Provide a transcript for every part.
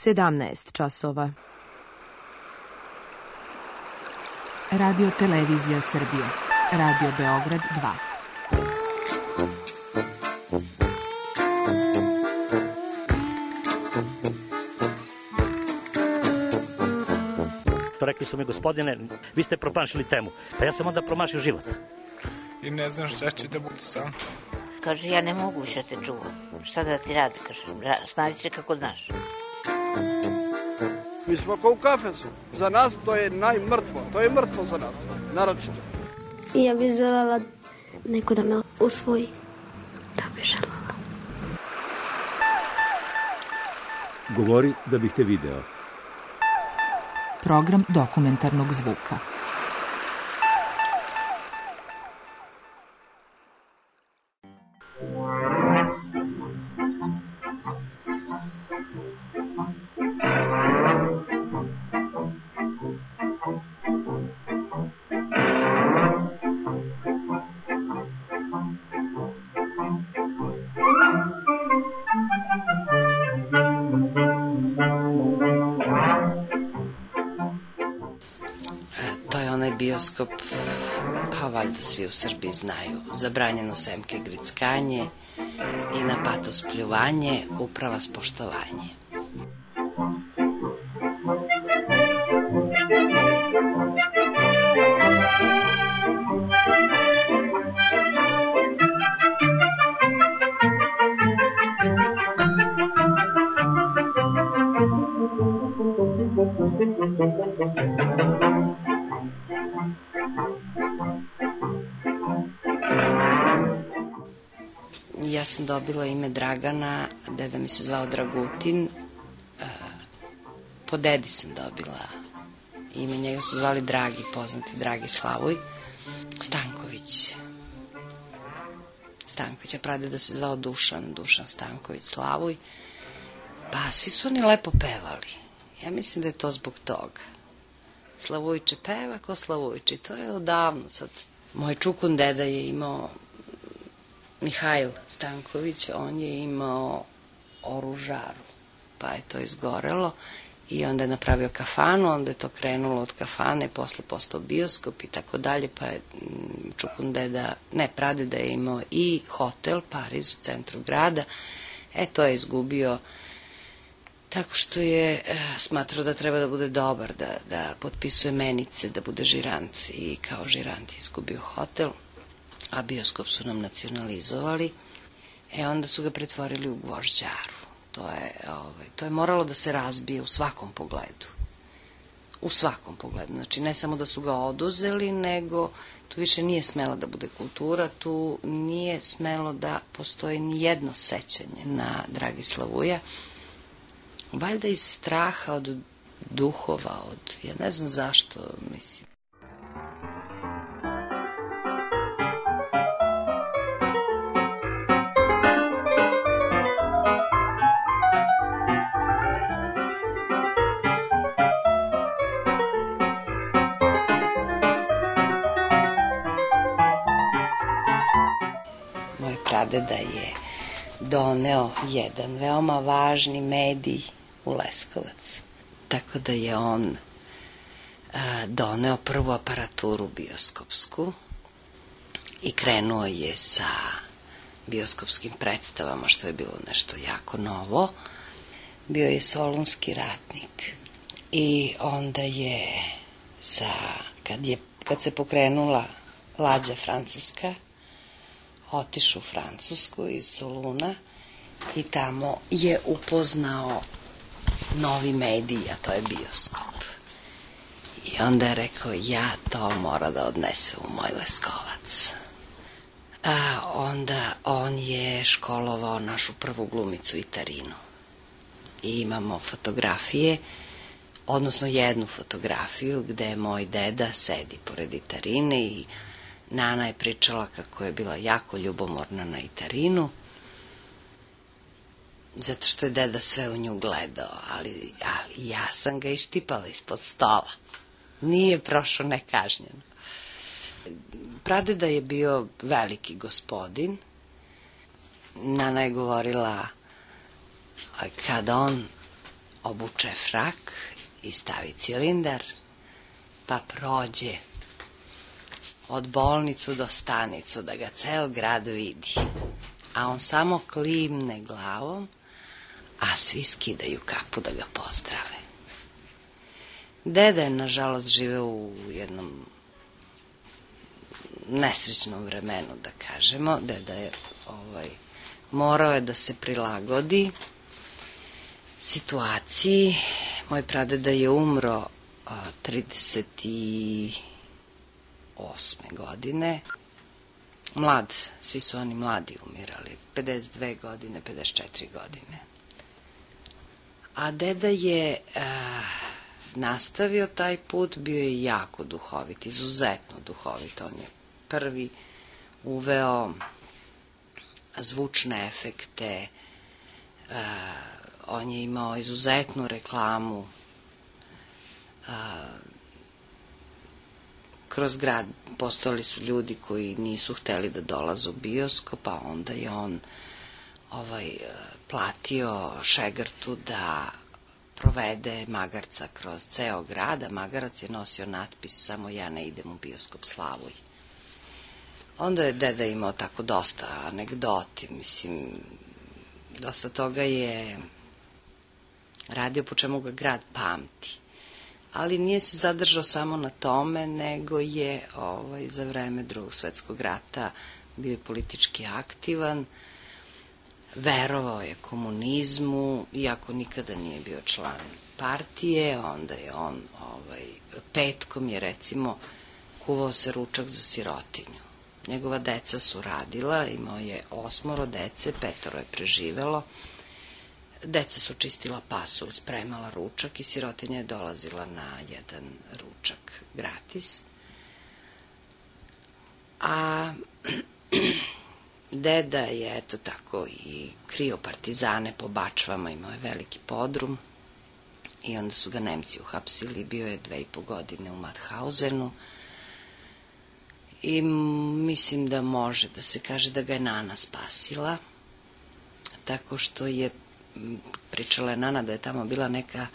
17 časova. Radio Televizija Srbije. Radio Beograd 2. Rekli su mi, gospodine, vi ste promašili temu. Pa ja sam onda promašio život. I ne znam šta će da bude sam. Kaže, ja ne mogu više te čuvam. Šta da ti radi? Kaže, snađi se kako znaš. Mi smo kao u kafesu. Za nas to je najmrtvo. To je mrtvo za nas. Naročito. Ja bih želela neko da me usvoji. Da bih želela. Govori da bih te video. Program dokumentarnog zvuka. Bioskop, pa valjda svi u Srbiji znaju, zabranjeno semke grickanje i na patos pljuvanje, uprava spoštovanje. Ja sam dobila ime Dragana, deda mi se zvao Dragutin, po dedi sam dobila ime, njega su zvali Dragi, poznati Dragi Slavuj, Stanković, a pradeda se zvao Dušan Stanković Slavuj, pa svi su oni lepo pevali, ja mislim da je to zbog toga. Slavujče peva ko Slavujče, to je odavno sad. Moj čukun deda je imao, Mihajl Stanković, on je imao oružaru, pa je to izgorelo i onda je napravio kafanu, onda je to krenulo od kafane, posle postao bioskop i tako dalje, pa je čukun deda, ne, pradeda je imao i hotel Pariz u centru grada, to je izgubio tako što je smatrao da treba da bude dobar, da potpisuje menice, da bude žirant i kao žirant je izgubio hotel, a bioskop su nam nacionalizovali, onda su ga pretvorili u gvožđaru. To je moralo da se razbije u svakom pogledu. U svakom pogledu. Znači, ne samo da su ga oduzeli, nego tu više nije smela da bude kultura, tu nije smelo da postoji ni jedno sećanje na Dragislavuja. Valjda iz straha od duhova, ja ne znam zašto, mislim. Moj pradeda je doneo jedan veoma važni medij u Leskovac. Tako da je on doneo prvu aparaturu bioskopsku i krenuo je sa bioskopskim predstavama, što je bilo nešto jako novo. Bio je Solunski ratnik i onda je kad se pokrenula lađa francuska, otišao u Francusku iz Soluna i tamo je upoznao novi medij, a to je bioskop. I onda je rekao, ja to mora da odnese u moj Leskovac. A onda on je školovao našu prvu glumicu Itarinu. I imamo fotografije, odnosno jednu fotografiju gde moj deda sedi pored Itarine i Nana je pričala kako je bila jako ljubomorna na Itarinu, zato što je deda sve u nju gledao, ali ja sam ga ištipala ispod stola. Nije prošao nekažnjeno. Pradeda je bio veliki gospodin. Nana je govorila, kad on obuče frak i stavi cilindar, pa prođe od bolnicu do stanicu da ga ceo grad vidi. A on samo klimne glavom, a svi skidaju kapu da ga pozdrave. Deda je, nažalost, živeo u jednom nesrećnom vremenu, da kažemo. Deda je morao je da se prilagodi situaciji. Moj pradeda je umro 38. godine. Mlad, svi su oni mladi umirali, 52 godine, 54 godine. A deda je nastavio taj put, bio je jako duhovit, izuzetno duhovit. On je prvi uveo zvučne efekte, on je imao izuzetnu reklamu, kroz grad postojali su ljudi koji nisu hteli da dolaze u bioskop, a onda je on platio šegrtu da provede magarca kroz ceo grad, a magarac je nosio natpis samo ja ne idem u bioskop Slavuj. Onda je deda imao tako dosta anegdoti, mislim, dosta toga je radio po čemu ga grad pamti. Ali nije se zadržao samo na tome, nego je za vreme Drugog svetskog rata bio je politički aktivan, verovao je komunizmu, iako nikada nije bio član partije. Onda je on petkom je, recimo, kuvao se ručak za sirotinju. Njegova deca su radila, imao je 8 dece, 5 je preživelo. Deca su čistila pasulj, spremala ručak i sirotinja je dolazila na jedan ručak gratis. A deda je, eto tako, i krio partizane po bačvama, imao je veliki podrum i onda su ga Nemci uhapsili, bio je 2,5 godine u Mauthausenu i mislim da može da se kaže da ga je Nana spasila, tako što je pričala je Nana da je tamo bila neka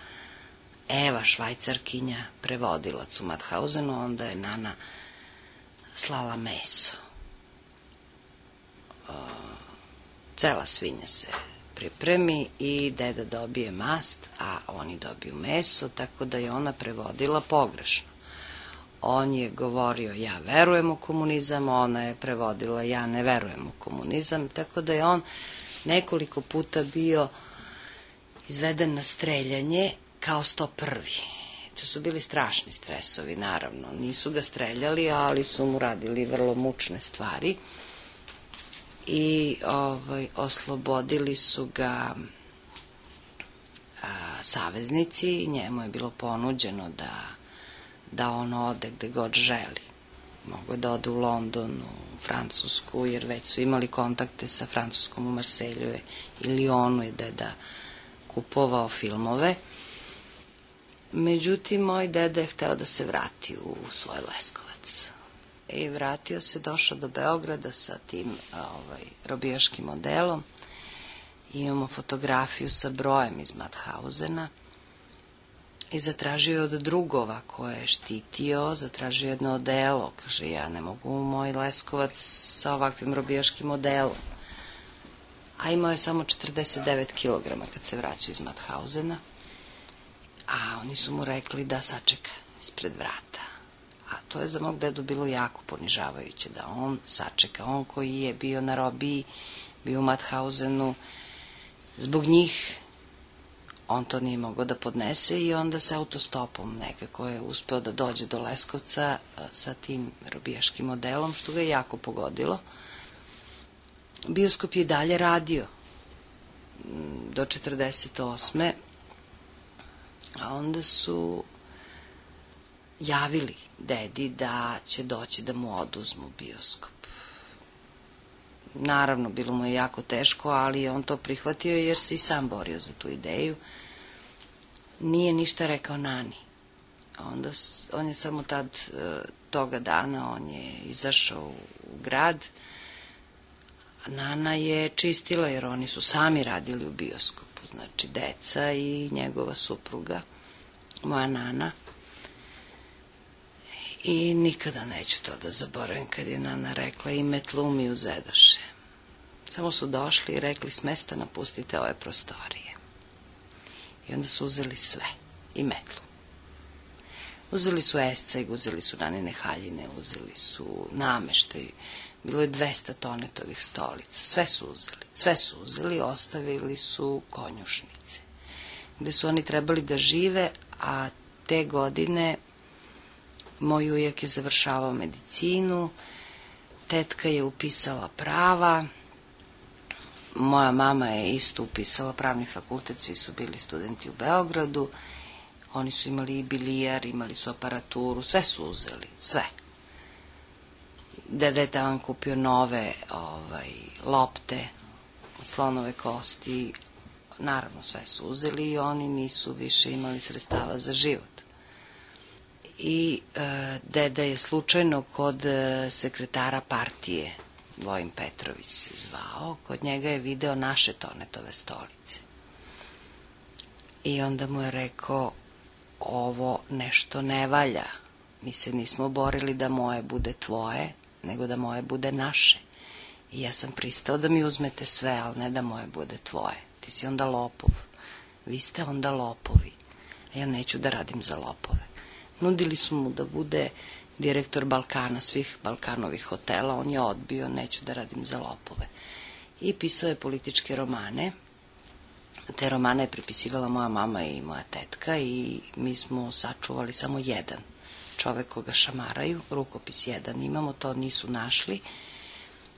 Eva, švajcarkinja, prevodilac u Mauthausenu, onda je Nana slala meso. Cela svinja se pripremi i deda dobije mast, a oni dobiju meso, tako da je ona prevodila pogrešno. On je govorio ja verujem u komunizam, ona je prevodila ja ne verujem u komunizam, tako da je on nekoliko puta bio izveden na streljanje kao 101. To su bili strašni stresovi, naravno. Nisu ga streljali, ali su mu radili vrlo mučne stvari. I oslobodili su ga saveznici. Njemu je bilo ponuđeno da on ode gde god želi. Mogu da ode u London, u Francusku, jer već su imali kontakte sa Francuskom u Marselju i Lyonu je deda kupovao filmove. Međutim, moj deda je hteo da se vrati u svoj Leskovac. I vratio se, došao do Beograda sa tim robijaškim modelom. Imamo fotografiju sa brojem iz Mauthausena. I zatražio je od drugova koje je štitio, zatražio jedno odelo. Kaže, ja ne mogu u moj Leskovac sa ovakvim robijaškim modelom. A imao je samo 49 kilograma kad se vraćao iz Mauthausena. A oni su mu rekli da sačeka ispred vrata. A to je za mog dedu bilo jako ponižavajuće, da on sačeka. On koji je bio na robiji, bio u Mauthausenu, zbog njih on to nije mogao da podnese i onda se autostopom nekako je uspeo da dođe do Leskovca sa tim robijaškim modelom, što ga je jako pogodilo. Bioskop je dalje radio do 48. A onda su javili dedi da će doći da mu oduzmu bioskop. Naravno, bilo mu je jako teško, ali on to prihvatio jer se i sam borio za tu ideju. Nije ništa rekao Nani. Onda on je samo toga dana, on je izašao u grad, Nana je čistila, jer oni su sami radili u bioskopu, znači deca i njegova supruga, moja Nana. I nikada neću to da zaboravim kad je Nana rekla i metlu mi uzedoše. Samo su došli i rekli s mesta napustite ove prostorije. I onda su uzeli sve, i metlu. Uzeli su esceg, uzeli su Nanine haljine, uzeli su nameštaj. Bilo je 200 tonetovih stolica. Sve su uzeli, ostavili su konjušnice. Gde su oni trebali da žive, a te godine moj ujak je završavao medicinu, tetka je upisala prava, moja mama je isto upisala pravni fakultet, svi su bili studenti u Beogradu, oni su imali i bilijar, imali su aparaturu, sve su uzeli, sve. Deda je tamo kupio nove lopte, slonove kosti, naravno sve su uzeli i oni nisu više imali sredstava za život. I deda je slučajno kod sekretara partije, Vojin Petrović se zvao, kod njega je video naše tonetove stolice. I onda mu je rekao, ovo nešto ne valja, mi se nismo borili da moje bude tvoje, nego da moje bude naše. I ja sam pristao da mi uzmete sve, ali ne da moje bude tvoje. Ti si onda lopov, vi ste onda lopovi, a ja neću da radim za lopove. Nudili su mu da bude direktor Balkana, svih Balkanovih hotela, on je odbio, neću da radim za lopove. I pisao je političke romane. Te romane je prepisivala moja mama i moja tetka i mi smo sačuvali samo jedan čovek koga šamaraju, rukopis jedan imamo, to nisu našli.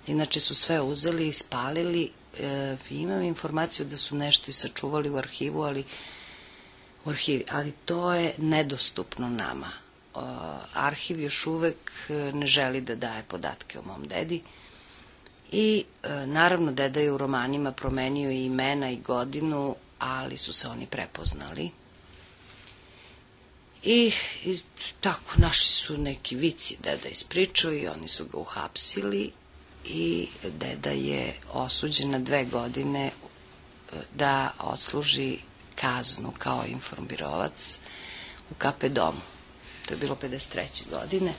Inače su sve uzeli i spalili. Imam informaciju da su nešto i sačuvali u arhivu, ali to je nedostupno nama. Arhiv još uvek ne želi da daje podatke o mom dedi. I naravno deda je u romanima promenio i imena i godinu, ali su se oni prepoznali. I tako naši su neki vici deda ispričao i oni su ga uhapsili i deda je osuđen na 2 godine da odsluži kaznu kao informbirovac u KP domu. To je bilo 53. godine.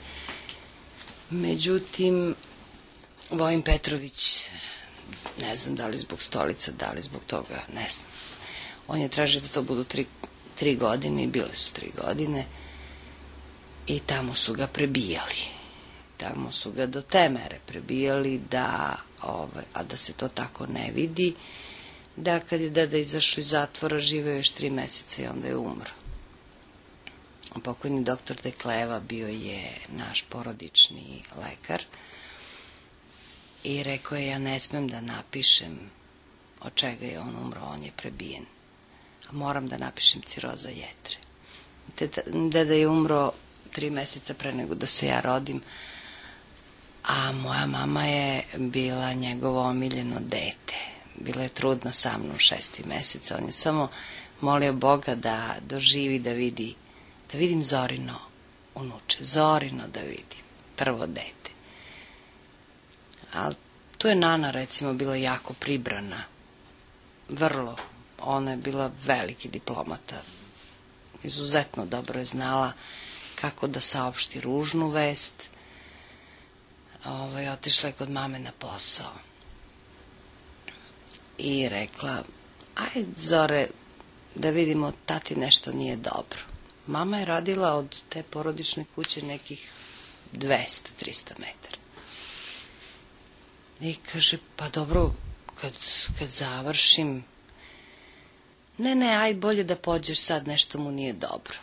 Međutim, Vojin Petrović, ne znam da li zbog stolica, da li zbog toga, ne znam. On je tražio da to budu 3 godine i bile su 3 godine i tamo su ga prebijali. Tamo su ga do te mere prebijali a da se to tako ne vidi, da kad je deda izašao iz zatvora živeo još 3 meseca i onda je umro. Pokojni doktor Dekleva bio je naš porodični lekar i rekao je, ja ne smem da napišem od čega je on umro, on je prebijen. A moram da napišem ciroza jetre. Deda je umro 3 meseca pre nego da se ja rodim, a moja mama je bila njegovo omiljeno dete. Bila je trudna sa mnom 6. meseca. On je samo molio Boga da doživi, da vidim Zorino unuče, Zorino da vidim, prvo dete. Ali tu je Nana, recimo, bila jako pribrana, vrlo. Ona je bila veliki diplomata, izuzetno dobro je znala kako da saopšti ružnu vest. Otišla je kod mame na posao i rekla, aj Zore, da vidimo, tati nešto nije dobro. Mama je radila od te porodične kuće nekih 200-300 metara. I kaže, pa dobro, kad završim, ne, aj bolje da pođeš sad, nešto mu nije dobro.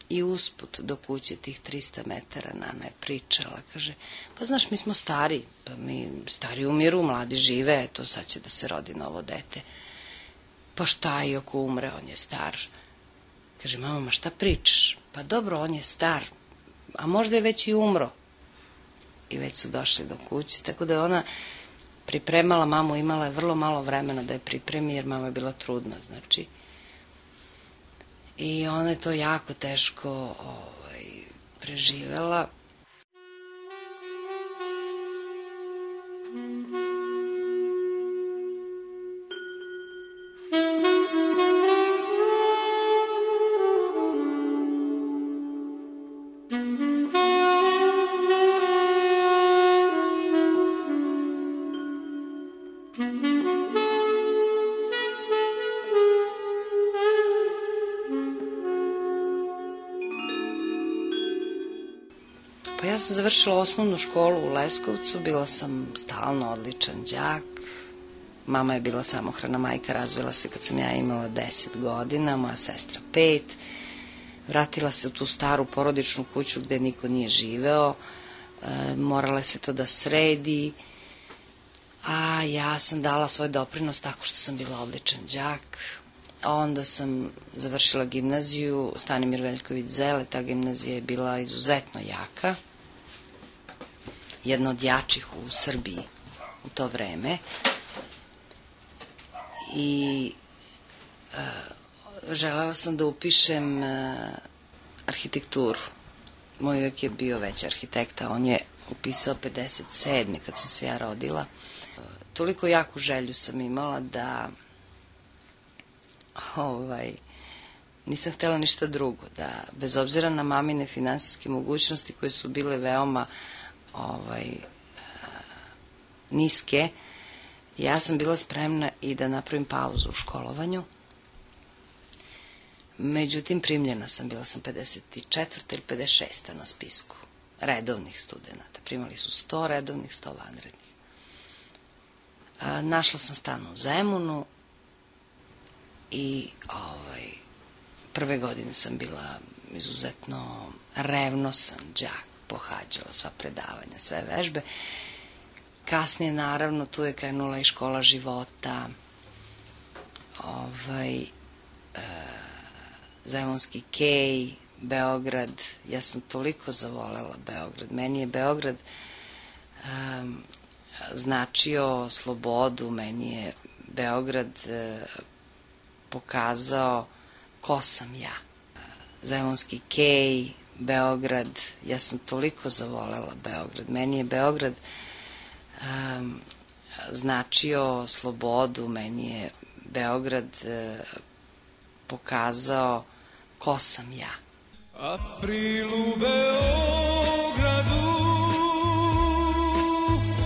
I usput do kuće tih 300 metara Nana je pričala, kaže, pa znaš, mi smo stari, pa mi stari umiru, mladi žive, eto sad će da se rodi novo dete. Pa šta i ako umre, on je star. Kaže, mama, ma šta pričaš? Pa dobro, on je star, a možda je već i umro. I već su došli do kuće, tako da je ona pripremala mamu, imala je vrlo malo vremena da je pripremi, jer mama je bila trudna, znači. I ona je to jako teško preživela. Pa ja sam završila osnovnu školu u Leskovcu, bila sam stalno odličan đak. Mama je bila samohrana majka, razvela se kad sam ja imala 10 godina, moja sestra 5. Vratila se u tu staru porodičnu kuću gde niko nije živeo, morala se to da sredi, a ja sam dala svoj doprinos tako što sam bila odličan đak. Onda sam završila gimnaziju Stanimir Veljković Zele, ta gimnazija je bila izuzetno jaka, jedna od jačih u Srbiji u to vreme. I želela sam da upišem arhitekturu. Moj uvek je bio već arhitekta, on je upisao 57. kad sam se ja rodila. Toliko jaku želju sam imala da nisam htjela ništa drugo, da bez obzira na mamine finansijske mogućnosti koje su bile veoma niske, ja sam bila spremna i da napravim pauzu u školovanju. Međutim, primljena sam, bila sam 54. ili 56. na spisku redovnih studenta. Primali su 100 redovnih, 100 vanrednih. Našla sam stan u Zemunu i prve godine sam bila izuzetno revnosan đak, pohađala sva predavanja, sve vežbe. Kasnije, naravno, tu je krenula i škola života, Zemunski kej, Beograd. Ja sam toliko zavolela Beograd. Meni je Beograd značio slobodu, meni je Beograd pokazao ko sam ja. Zemunski kej, Beograd, ja sam toliko zavolela Beograd. Meni je Beograd značio slobodu, meni je Beograd pokazao ko sam ja. April u Beogradu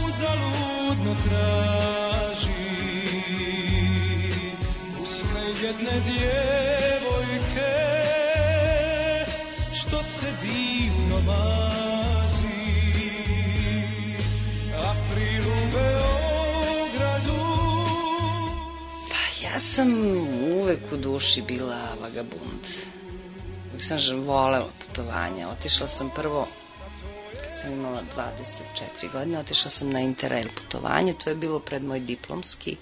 uzaludno traži usne jedne djevojke što se divno mazi. April u Beogradu. Pa ja sam uvek u duši bila vagabund. Uvek sam volela putovanja. Otišla sam prvo, kad sam imala 24 godine, otišla sam na Interrail putovanje, to je bilo pred moj diplomski.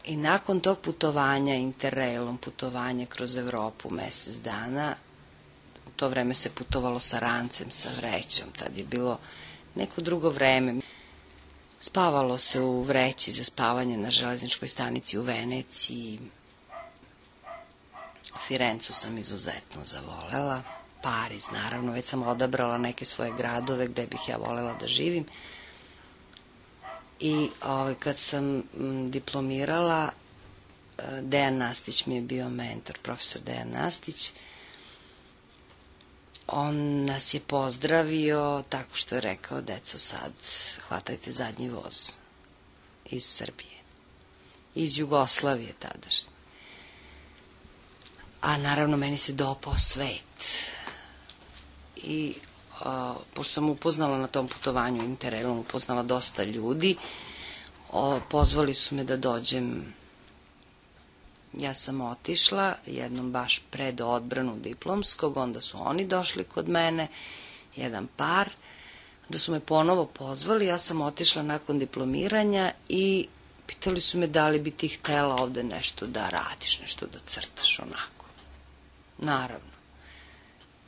I nakon tog putovanja, Interrailom, putovanje kroz Evropu mesec dana, u to vreme se putovalo sa rancem, sa vrećom, tad je bilo neko drugo vreme. Spavalo se u vreći za spavanje na železničkoj stanici u Veneciji. Firencu sam izuzetno zavolela. Pariz, naravno, već sam odabrala neke svoje gradove gde bih ja volela da živim. I kad sam diplomirala, Dejan Nastić mi je bio mentor, profesor Dejan Nastić. On nas je pozdravio tako što je rekao: deco, sad hvatajte zadnji voz iz Srbije, iz Jugoslavije tadašnje. A naravno meni se dopao svet. I pošto sam upoznala na tom putovanju Interrailom, upoznala dosta ljudi, pozvali su me da dođem. Ja sam otišla jednom baš pred odbranu diplomskog, onda su oni došli kod mene, jedan par, da su me ponovo pozvali, ja sam otišla nakon diplomiranja i pitali su me da li bi ti htela ovde nešto da radiš, nešto da crtaš, onako. Naravno.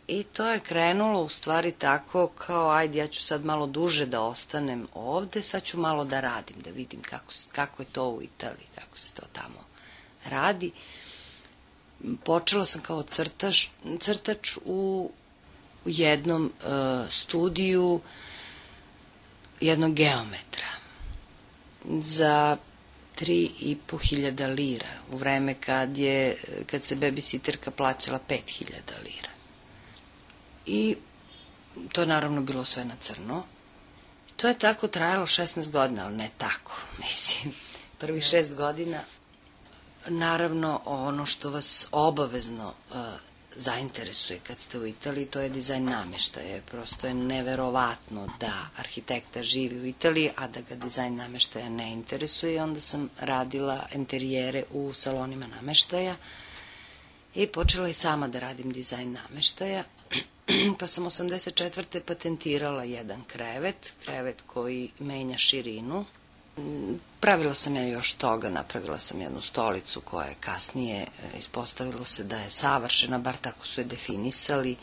I to je krenulo u stvari tako kao, ajde, ja ću sad malo duže da ostanem ovde, sad ću malo da radim, da vidim kako je to u Italiji, kako se to tamo radi. Počela sam kao crtač u jednom studiju jednog geometra za 3.500 lira, u vreme kad se babysitterka plaćala 5.000 lira. I to je naravno bilo sve na crno. To je tako trajalo 16 godina, ali ne tako, mislim. Prvih 6 godina, naravno, ono što vas obavezno zainteresuje kad ste u Italiji, to je dizajn namještaja. Prosto je neverovatno da arhitekta živi u Italiji, a da ga dizajn namještaja ne interesuje. Onda sam radila interijere u salonima namještaja i počela i sama da radim dizajn namještaja. Pa sam 84. patentirala jedan krevet koji menja širinu. Pravila sam ja još toga, napravila sam jednu stolicu koja je kasnije ispostavilo se da je savršena, bar tako su je definisali,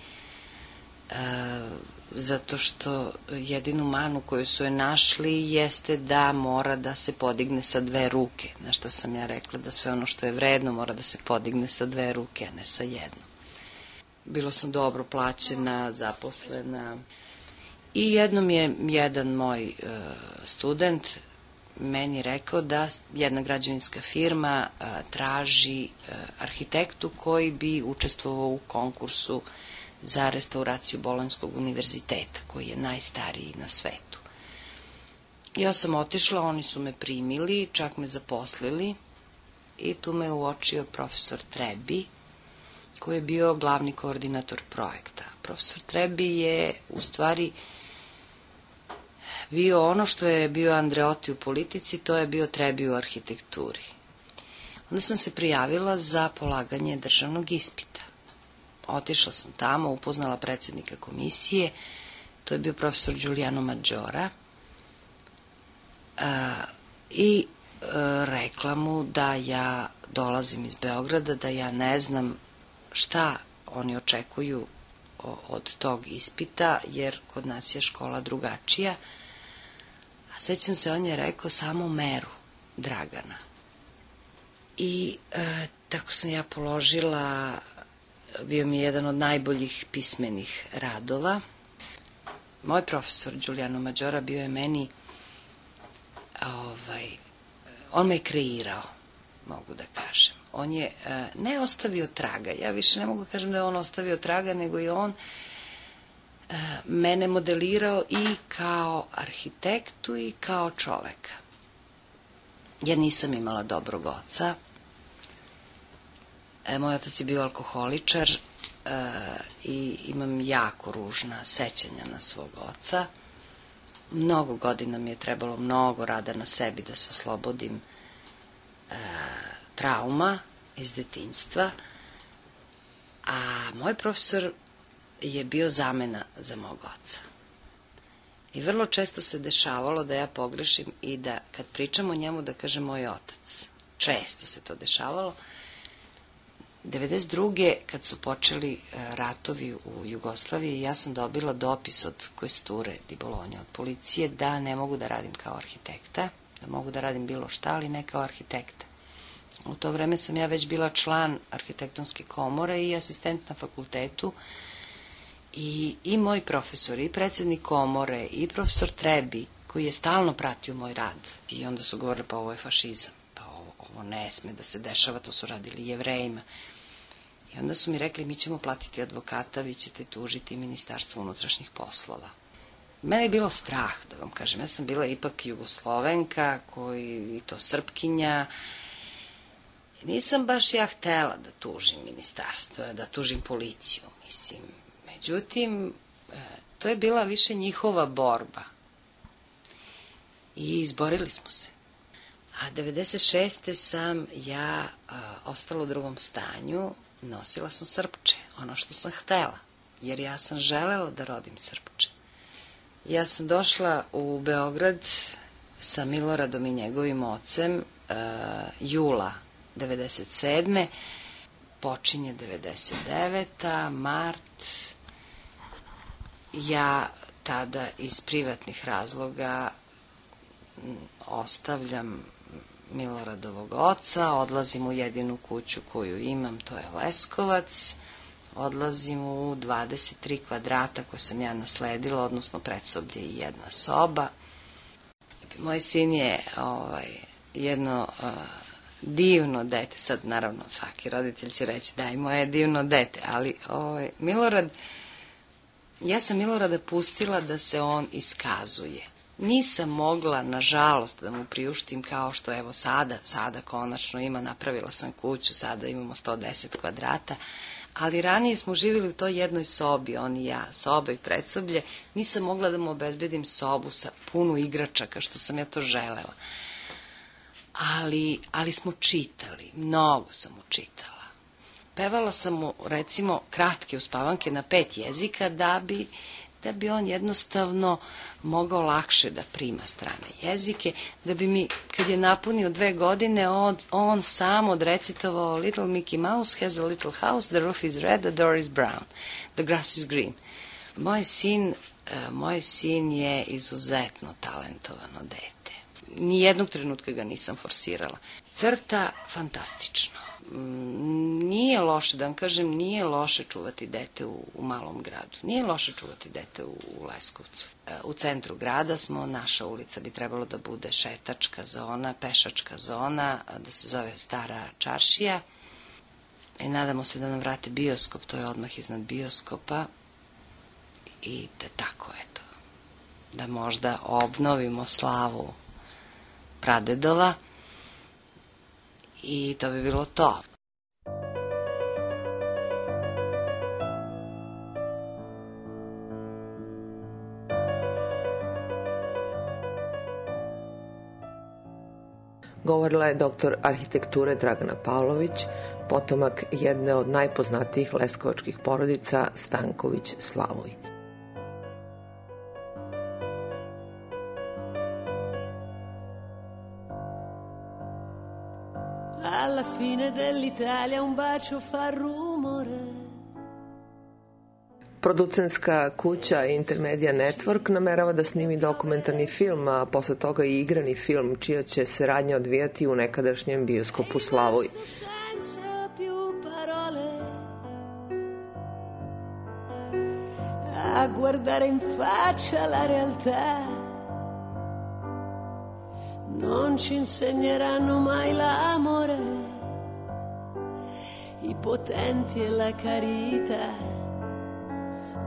zato što jedinu manu koju su je našli jeste da mora da se podigne sa 2 ruke. Na što sam ja rekla da sve ono što je vredno mora da se podigne sa 2 ruke, a ne sa jednom. Bilo sam dobro plaćena, zaposlena. I jednom je jedan moj student meni rekao da jedna građevinska firma traži arhitektu koji bi učestvovao u konkursu za restauraciju Bolonjskog univerziteta, koji je najstariji na svetu. Ja sam otišla, oni su me primili, čak me zaposlili i tu me uočio profesor Trebi, koji je bio glavni koordinator projekta. Profesor Trebi je u stvari bio ono što je bio Andreotti u politici, to je bio Trebi u arhitekturi. Onda sam se prijavila za polaganje državnog ispita. Otišla sam tamo, upoznala predsjednika komisije, to je bio profesor Giuliano Maggiora, i rekla mu da ja dolazim iz Beograda, da ja ne znam šta oni očekuju od tog ispita, jer kod nas je škola drugačija. A sećam se, on je rekao samo meru Dragana. I tako sam ja položila, bio mi je jedan od najboljih pismenih radova. Moj profesor Giuliano Maggiora bio je meni, on me je kreirao, mogu da kažem. On je ne ostavio traga, ja više ne mogu da kažem da je on ostavio traga, nego je on mene modelirao i kao arhitektu i kao čoveka. Ja nisam imala dobrog oca. Moj otac je bio alkoholičar i imam jako ružna sećanja na svog oca. Mnogo godina mi je trebalo, mnogo rada na sebi da se oslobodim trauma iz detinjstva, a moj profesor je bio zamena za mog oca. I vrlo često se dešavalo da ja pogrešim i da kad pričam o njemu da kažem moj otac. Često se to dešavalo. 1992. kad su počeli ratovi u Jugoslaviji, ja sam dobila dopis od Questure di Bologna, od policije, da ne mogu da radim kao arhitekta, da mogu da radim bilo šta, ali ne kao arhitekta. U to vreme sam ja već bila član arhitektonske komore i asistent na fakultetu, i moj profesor, i predsjednik komore, i profesor Trebi, koji je stalno pratio moj rad. I onda su govorili, pa ovo je fašizam, pa ovo ne sme da se dešava, to su radili Jevrejima. I onda su mi rekli, mi ćemo platiti advokata, vi ćete tužiti Ministarstvo unutrašnjih poslova. Mene je bilo strah, da vam kažem, ja sam bila ipak Jugoslovenka, i to Srpkinja. Nisam baš ja htela da tužim ministarstvo, da tužim policiju, mislim. Međutim, to je bila više njihova borba. I izborili smo se. A 96. sam ja ostala u drugom stanju, nosila sam srpče, ono što sam htela, jer ja sam želela da rodim srpče. Ja sam došla u Beograd sa Miloradom i njegovim ocem jula 97. Počinje 99. mart. Ja tada iz privatnih razloga ostavljam Miloradovog oca, odlazim u jedinu kuću koju imam, to je Leskovac, odlazim u 23 kvadrata koje sam ja nasledila, odnosno predsoblje i jedna soba. Moj sin je jedno divno dete, sad naravno svaki roditelj će reći da i moje divno dete, ali Milorad, ja sam Milorada pustila da se on iskazuje. Nisam mogla, nažalost, da mu priuštim kao što evo sada konačno ima, napravila sam kuću, sada imamo 110 kvadrata, Ali ranije smo živjeli u toj jednoj sobi, on i ja, soba i predsoblje. Nisam mogla da mu obezbedim sobu sa puno igračaka, što sam ja to želela. Ali smo čitali, mnogo sam mu čitala. Pevala sam mu, recimo, kratke uspavanke na 5 jezika da bi on jednostavno mogao lakše da prima strane jezike, da bi mi, kad je napunio 2 godine, on sam odrecitovao Little Mickey Mouse has a little house, the roof is red, the door is brown, the grass is green. Moj sin je izuzetno talentovano dete. Nijednog trenutka ga nisam forsirala. Crta fantastično. Nije loše, da vam kažem, nije loše čuvati dete u malom gradu. Nije loše čuvati dete u Leskovcu. U centru grada smo, naša ulica bi trebalo da bude šetačka zona, pešačka zona, da se zove Stara čaršija. I nadamo se da nam vrate bioskop, to je odmah iznad bioskopa. I tako, eto, da možda obnovimo slavu pradedova. I to bi bilo to. Govorila je doktor arhitekture Dragana Pavlović, potomak jedne od najpoznatijih leskovačkih porodica Stanković Slavoj. Alla fine dell'Italia un bacio fa rumore. Producentska kuća Intermedia Network namerava da snimi dokumentarni film, a posle toga i igrani film, čija će se radnja odvijati u nekadašnjem bioskopu Slavoj. A guardare in faccia la realtà. Non ci insegneranno mai l'amore, i potenti e la carità,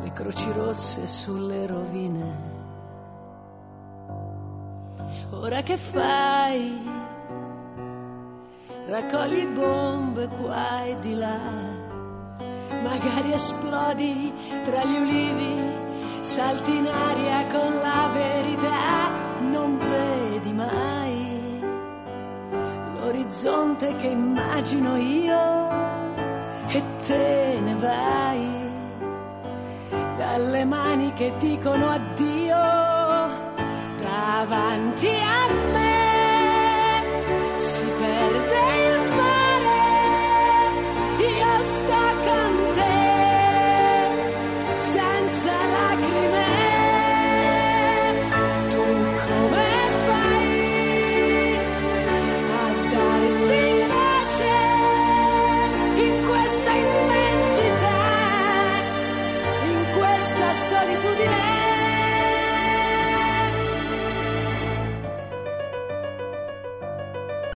le croci rosse sulle rovine. Ora che fai? Raccogli bombe qua e di là, magari esplodi tra gli ulivi, salti in aria con la verità. Non vedi mai l'orizzonte che immagino io e te ne vai dalle mani che dicono addio davanti a me.